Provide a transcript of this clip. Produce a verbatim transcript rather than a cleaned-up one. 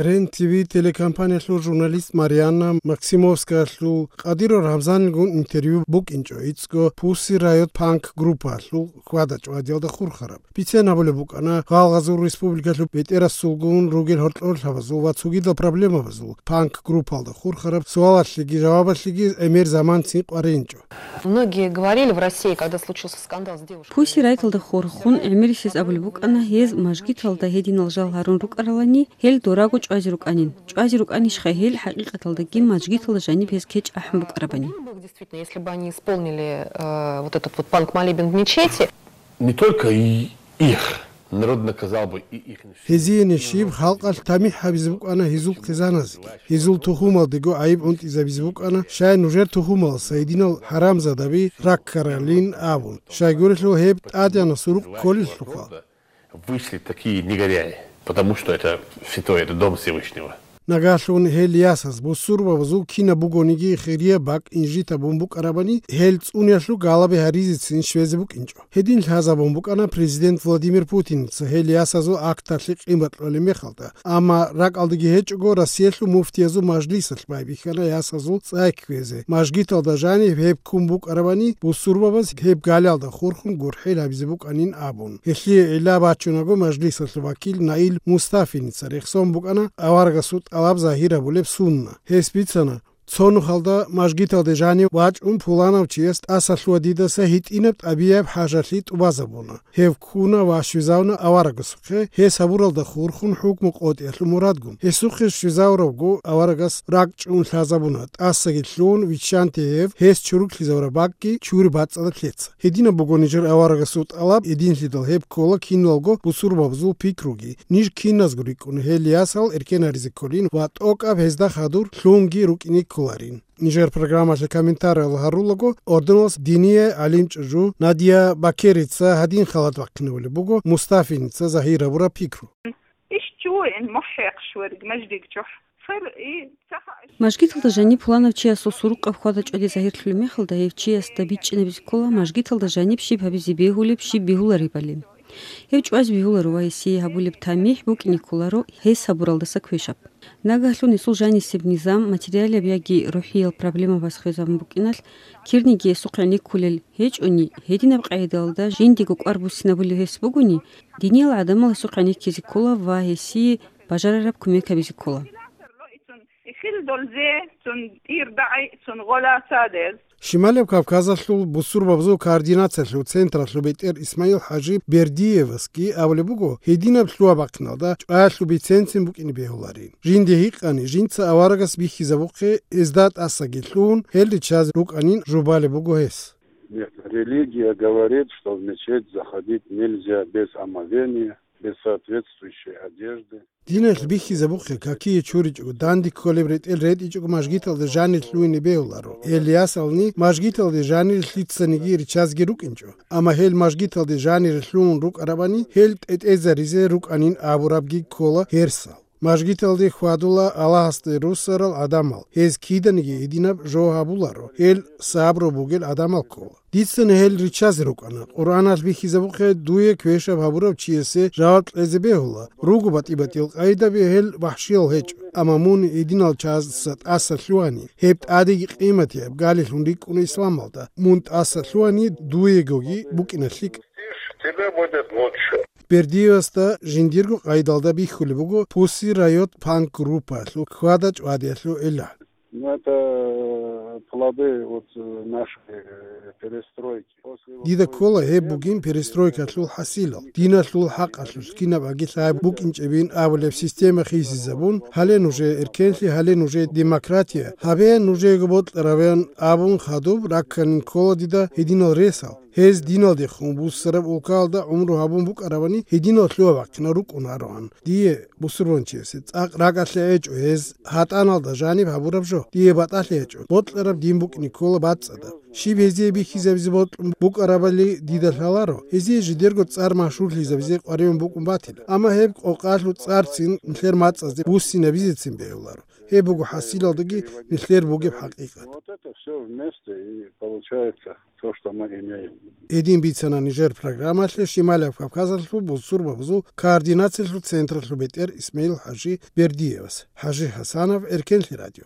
Рен ТВ телекомпаниялъул журналист Марианна Максимовскаялъул Къадиров Рамзанилгун интервью букӀинчӀо ицӀго Pussy Riot Punk группаялъул хьвада-чӀвадиялда хурхараб. Бицен гьабулеб букӀана гъалгъазул республикалъул бетӀерасулгун ругел гьоркьорлъабазул ва цогидал проблемабазул панк группалда хурхараб суалалъеги жавабалъеги гӀемер заман цин къваринчӀо. Многие говорили в России, когда случился скандал с девушкой. Пусси Райталда хурхун гӀемерисез абулеб букӀана, гьез мажгиталда гьединал жал гьарун рукӀаралани, гьел дораго чӀвазе рукӀанин. ЧӀвазе рукӀанищха гьел хӀакъикъаталдаги мажгиталда жаниб гьез кечӀ ахӀун букӀарабани? Действительно, если бы они исполнили, э, вот этот вот панк-молебен в мечети. Не только и их. Народ наказал бы и их. Гьезие нешиб халкъалъ тамихӀ гьабизе букӀана гьезул хъизаназги. Гьезул тухумалдего гӀайиб гӀунтӀизабизе букӀана, щай нужер тухумаласа гьединал хӀарамзадаби раккаралин абун. Щайгурелъул гьеб тӀадегӀанасул рукъ кколелъулха. Вышли такие негодяи, потому что это святой, это дом Всевышнего. Нагагьлъун гьел ясаз бусурбабазул кинаб бугониги хирияб бакӀ инжит гьабун букӀарабани, гьел цӀуниялъул галаби гьаризецин щвезе букӀинчӀо. Гьедин лъазабун букӀана президент Владимир Путиница гьел ясазул акталъе къимат кьолеб мехалда, амма ракӀалдаги гьечӀого Россиялъул муфтиязул мажлисалъ байбихьана ясазул цӀай кквезе, мажгиталда жаниб гьеб ккун букӀарабани, бусурбабаз гьеб галиялда хурхун гурхӀел гьабизе букӀанин абун. Гьелъие гӀилла бачунаго мажлисалъул вакил Наил Мустафиница рехсон букӀана аварагасул тӀалаб загьир гьабулеб сунна. Гьес бицана, цо нухалда мажгиталде жанив вачӀун пуланав чияс тӀасалъугьа дидаса гьитӀинаб тӀабияб хӀажалъи тӀубазабуна. Гьев ккуна ва щвезавуна аварагасухъе, гьес гьабуралда хурхун хӀукму къотӀиялъул мурадгун. Гьесухъе щвезавуравго аварагас ракӀчӀун лъазабуна, тӀасаги лъугьун виччанте гьев, гьес чуруклъизавураб бакӀги чури бацӀцӀадаб лъеца. Гьединаб буго нижер аварагасул тӀалаб, гьединлъидал гьеб ккола киналго бусурбабазул пикруги. Ниж киназго рикӀкӀуна гьел ясал эркен гьаризе кколин ва тӀокӀаб гьезда хадур лъунги рукӀине кколарин. Нижер программалъе комментариял гьарулаго, орденалъ диния гӀалимчӀужу Надия Бакерица гьадин халат бахъинабулеб буго Мустафиница загьир гьабураб пикру. Иш чуин мухӀехъ шверг мажгиталда жаниб пуланав чиясул сурукъаб хьвада чӀвади загьирлъулеб мехалда, гьев чиясда бичӀчӀинабизе ккола мажгиталда жаниб щиб гьабизе бегьулеб, щиб бегьуларебали. Гьев чӀвазе бегьуларо ва гьесие гьабулеб тамихӀ букӀине кколаро гьес гьабуралдаса квешаб. Нагагьлъун гьесул жанисеб низам, материалияб яги рухӀиял проблемабаз хвезабун букӀиналъ, кирниги гьесухъ гӀенеккулел гьечӀони, гьединаб къагӀидалда жиндиего кӀвар буссинабулев гьес бугони, диниял гӀадамал гьесухъ гӀенеккизе ккола ва гьесие бажарараб кумек гьабизе ккола. Шималияб Кавказалъул бусурбабазул координациялъул централъул бетӀер Исмаил-хӀажи Бердиевасги абулеб буго, гьединаб лъугьа-бахъиналда чӀваялъул биценцин букӀине бегьуларин. Жинде гьикъани, жинца аварагас бихьизабухъе, гьезда тӀасаги лъугьун, гьел риччазе рукӀанин жубалеб буго гьес. Нет, религия говорит, что в мечеть заходить нельзя без омовения, без соответствующей одежды. Диналъ бихьизабухъе какие чуричӀого, данде кколеб ретӀел ретӀичӀого мажгиталда жанир лъугьине бегьуларо. Гьел ясални мажгиталде жанир лъицаниги риччазеги рукӀинчӀо. Амма гьел мажгиталде жанир лъугьун рукӀарабани, гьел тӀетӀезаризе рукӀанин абурабги ккола гьерсал. Мажгиталде хьвадула Аллагьасде руссарал гӀадамал, гьез киданиги гьединаб жо гьабуларо, гьел сабру бугел гӀадамал ккола. Дицани гьел риччазе рукӀана, Къуръаналъ бихьизабухъе дуе квешаб гьабурав чиясе жаваб кьезе бегьула, руго батӀи-батӀиял къайдаби, гьел вахӀшиял гьечӀо. Амма мун гьединал чиясда тӀаса лъугьани, гьеб тӀадеги къиматияб галилъун рикӀкӀуна исламалда, мун тӀаса лъугьани дуегоги букӀина лъикӀ. Тебе будет лучше. Бердиевасда жиндирго къайдалда бихьулеб буго Pussy Riot Punk группаялъул хьвада-чӀвадиялъул гӀилла. Ну, это плоды вот, э, нашей, э, перестройки. После вот... Дида ккола гьеб бугин перестройкалъул хӀасилал. Диналъул хӀакъалъулъ кинаб аги лъай букӀинчӀебин абулеб система хисизабун, гьале нужее эркенлъи, гьале нужее демократия, гьабе нужеего бокьараб абун хадуб ракканин ккола дида гьединал ресал. Гьез диналдехун буссараб улкаялда гӀумру гьабун букӀарабани, гьединал лъугьа-бахъинал рукӀунароан. Дие, бусурбанчиясе, цӀакъ ракӀалъе гьечӀо гьез гьатӀаналда жаниб гьабураб жо. Дие батӀалъи гьечӀо, бокьараб дин букӀине ккола бацӀцӀадаб. Щиб гьезие бихьизабизе бокьун букӀарабали дида лъаларо, гьезие жидерго цӀар машгьурлъизабизе къваригӀун букӀун батила. Амма гьеб къокъалъул цӀарцин нилъер мацӀазде буссинабизецин бегьуларо. Гьеб буго хӀасилалдаги нилъер бугеб хӀакъикъат. Вот это все вместе и получается то, что мы имеем. Гьедин бицана нижер программалъе Шималияб Кавказалъул бусурбабазул координациялъул централъул бетӀер Исмаил-хӀажи Бердиевас. ХӀажи ХӀасанов, Эркенлъи радио.